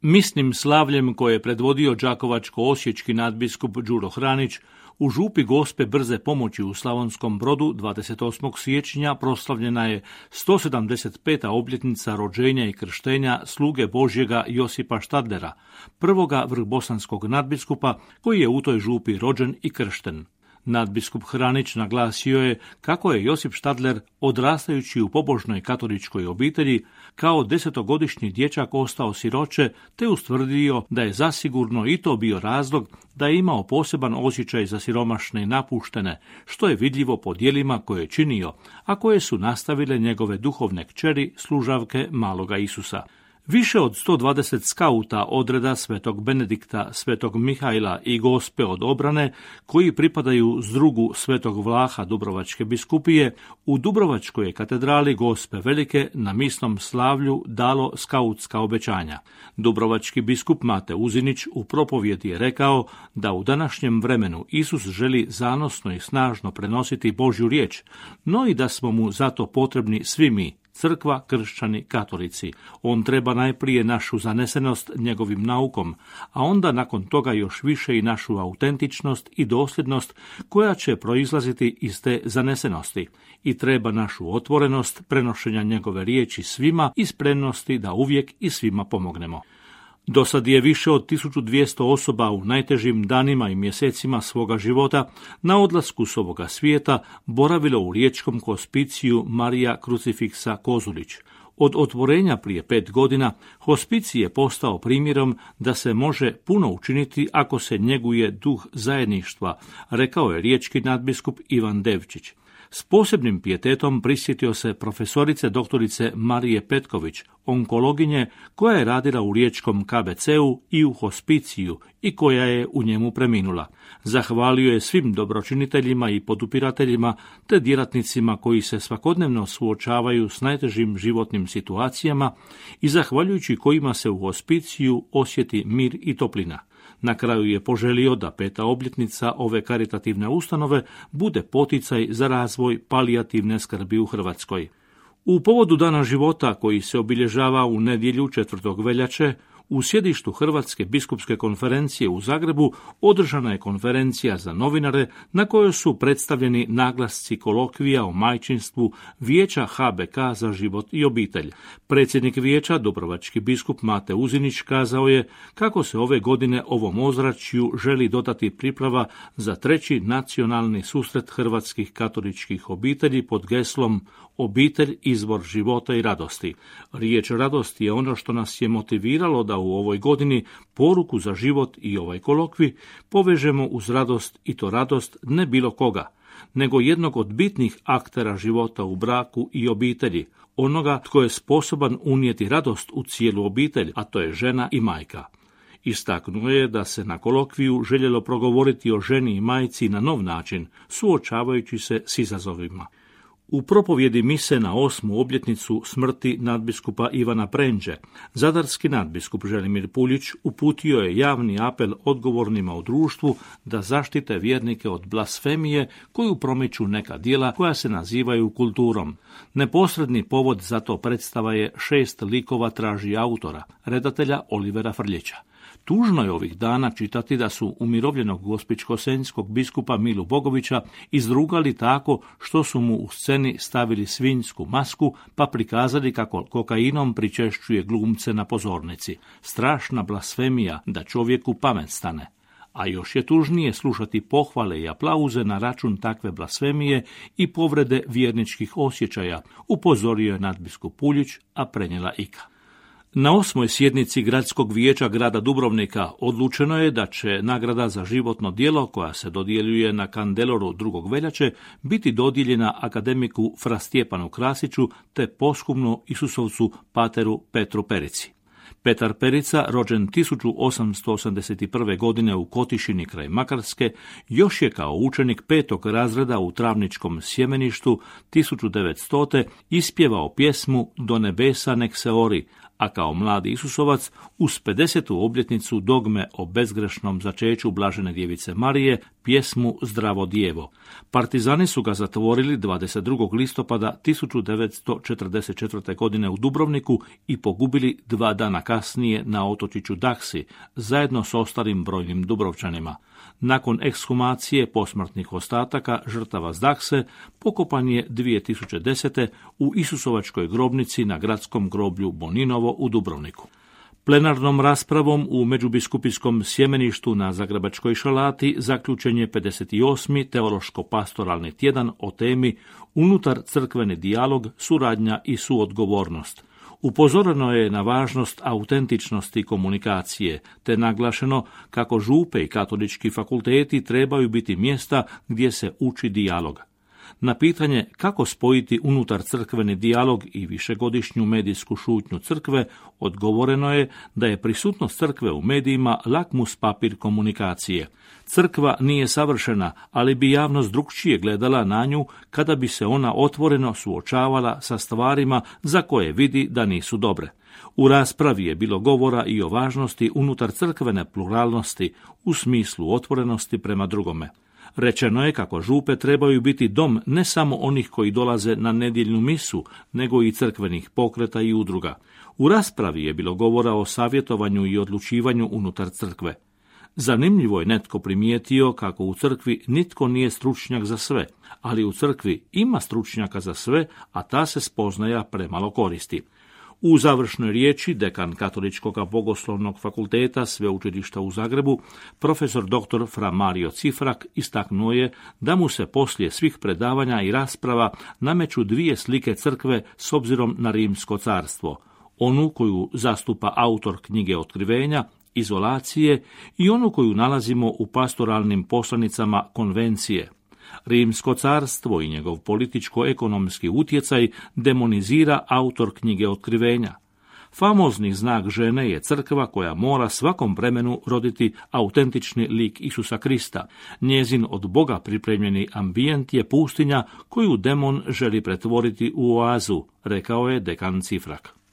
Misnim slavljem koje je predvodio đakovačko-osječki nadbiskup Đuro Hranić, u župi Gospe Brze pomoći u Slavonskom Brodu 28. siječnja proslavljena je 175. obljetnica rođenja i krštenja sluge Božjega Josipa Štadlera, prvoga vrhbosanskog nadbiskupa koji je u toj župi rođen i kršten. Nadbiskup Hranić naglasio je kako je Josip Štadler, odrastajući u pobožnoj katoličkoj obitelji, kao 10-godišnji dječak ostao siroče, te ustvrdio da je zasigurno i to bio razlog da je imao poseban osjećaj za siromašne i napuštene, što je vidljivo po djelima koje je činio, a koje su nastavile njegove duhovne kćeri, služavke maloga Isusa. Više od 120 skauta odreda Svetog Benedikta, Svetog Mihajla i Gospe od obrane, koji pripadaju zdrugu Svetog Vlaha Dubrovačke biskupije, u Dubrovačkoj katedrali Gospe Velike na misnom slavlju dalo skautska obećanja. Dubrovački biskup Mate Uzinić u propovjedi je rekao da u današnjem vremenu Isus želi zanosno i snažno prenositi Božju riječ, no i da smo mu zato potrebni svi mi, crkva, kršćani, katolici. On treba najprije našu zanesenost njegovim naukom, a onda nakon toga još više i našu autentičnost i dosljednost koja će proizlaziti iz te zanesenosti. I treba našu otvorenost prenošenja njegove riječi svima i spremnosti da uvijek i svima pomognemo. Dosad je više od 1200 osoba u najtežim danima i mjesecima svoga života na odlasku s ovoga svijeta boravilo u riječkom hospiciju Marija Krucifiksa Kozulić. Od otvorenja prije 5 godina hospicij je postao primjerom da se može puno učiniti ako se njeguje duh zajedništva, rekao je riječki nadbiskup Ivan Devčić. S posebnim pijetetom prisjetio se profesorice doktorice Marije Petković, onkologinje koja je radila u riječkom KBC-u i u hospiciju i koja je u njemu preminula. Zahvalio je svim dobročiniteljima i podupirateljima te djelatnicima koji se svakodnevno suočavaju s najtežim životnim situacijama i zahvaljujući kojima se u hospiciju osjeti mir i toplina. Na kraju je poželio da 5. obljetnica ove karitativne ustanove bude poticaj za razvoj palijativne skrbi u Hrvatskoj. U povodu Dana života koji se obilježava u nedjelju 4. veljače, u sjedištu Hrvatske biskupske konferencije u Zagrebu održana je konferencija za novinare na kojoj su predstavljeni naglasci kolokvija o majčinstvu Vijeća HBK za život i obitelj. Predsjednik vijeća, dubrovački biskup Mate Uzinić, kazao je kako se ove godine ovom ozračju želi dodati priprava za 3. nacionalni susret hrvatskih katoličkih obitelji pod geslom Obitelj, izvor života i radosti. Riječ radost je ono što nas je motiviralo da u ovoj godini poruku za život i ovaj kolokvi povežemo uz radost, i to radost ne bilo koga, nego jednog od bitnih aktera života u braku i obitelji, onoga tko je sposoban unijeti radost u cijelu obitelj, a to je žena i majka. Istaknuo je da se na kolokviju željelo progovoriti o ženi i majci na nov način, suočavajući se s izazovima. U propovjedi mise na 8. obljetnicu smrti nadbiskupa Ivana Prenđe, zadarski nadbiskup Želimir Puljić uputio je javni apel odgovornima u društvu da zaštite vjernike od blasfemije koju promiču neka djela koja se nazivaju kulturom. Neposredni povod za to predstava je 6 likova traži autora, redatelja Olivera Frljića. Tužno je ovih dana čitati da su umirovljenog gospićko-senjskog biskupa Milu Bogovića izrugali tako što su mu u sceni stavili svinjsku masku pa prikazali kako kokainom pričešćuje glumce na pozornici. Strašna blasfemija da čovjeku pamet stane. A još je tužnije slušati pohvale i aplauze na račun takve blasfemije i povrede vjerničkih osjećaja, upozorio je nadbiskup Puljić, a prenijela Ika. Na 8. sjednici Gradskog vijeća grada Dubrovnika odlučeno je da će nagrada za životno djelo koja se dodjeljuje na Kandeloru 2. veljače biti dodijeljena akademiku Fra Stjepanu Krasiću te posthumno Isusovcu pateru Petru Perici. Petar Perica, rođen 1881. godine u Kotišini kraj Makarske, još je kao učenik 5. razreda u Travničkom sjemeništu 1900. ispjevao pjesmu Do nebesa nek se ori, a kao mladi Isusovac uz 50. obljetnicu dogme o bezgrešnom začeću Blažene djevice Marije pjesmu Zdravo djevo. Partizani su ga zatvorili 22. listopada 1944. godine u Dubrovniku i pogubili 2 dana kasnije na otočiću Daksi, zajedno s ostalim brojnim Dubrovčanima. Nakon ekshumacije posmrtnih ostataka žrtava s Dakse pokopan je 2010. u Isusovačkoj grobnici na gradskom groblju Boninovo u Dubrovniku. Plenarnom raspravom u Međubiskupijskom sjemeništu na Zagrebačkoj Šalati zaključen je 58. teološko-pastoralni tjedan o temi Unutar crkveni dijalog, suradnja i suodgovornost. Upozoreno je na važnost autentičnosti komunikacije, te naglašeno kako župe i katolički fakulteti trebaju biti mjesta gdje se uči dijalog. Na pitanje kako spojiti unutar crkveni dijalog i višegodišnju medijsku šutnju crkve, odgovoreno je da je prisutnost crkve u medijima lakmus papir komunikacije. Crkva nije savršena, ali bi javnost drukčije gledala na nju kada bi se ona otvoreno suočavala sa stvarima za koje vidi da nisu dobre. U raspravi je bilo govora i o važnosti unutar crkvene pluralnosti u smislu otvorenosti prema drugome. Rečeno je kako župe trebaju biti dom ne samo onih koji dolaze na nedjeljnu misu, nego i crkvenih pokreta i udruga. U raspravi je bilo govora o savjetovanju i odlučivanju unutar crkve. Zanimljivo je netko primijetio kako u crkvi nitko nije stručnjak za sve, ali u crkvi ima stručnjaka za sve, a ta se spoznaja premalo koristi. U završnoj riječi dekan Katoličkog bogoslovnog fakulteta Sveučilišta u Zagrebu, profesor dr. Fra Mario Cifrak istaknuo je da mu se poslije svih predavanja i rasprava nameću 2 slike crkve s obzirom na Rimsko carstvo. Onu koju zastupa autor knjige Otkrivenja, izolacije, i onu koju nalazimo u pastoralnim poslanicama Konvencije. Rimsko carstvo i njegov političko-ekonomski utjecaj demonizira autor knjige Otkrivenja. Famozni znak žene je crkva koja mora svakom vremenu roditi autentični lik Isusa Krista. Njezin od Boga pripremljeni ambijent je pustinja koju demon želi pretvoriti u oazu, rekao je dekan Cifrak.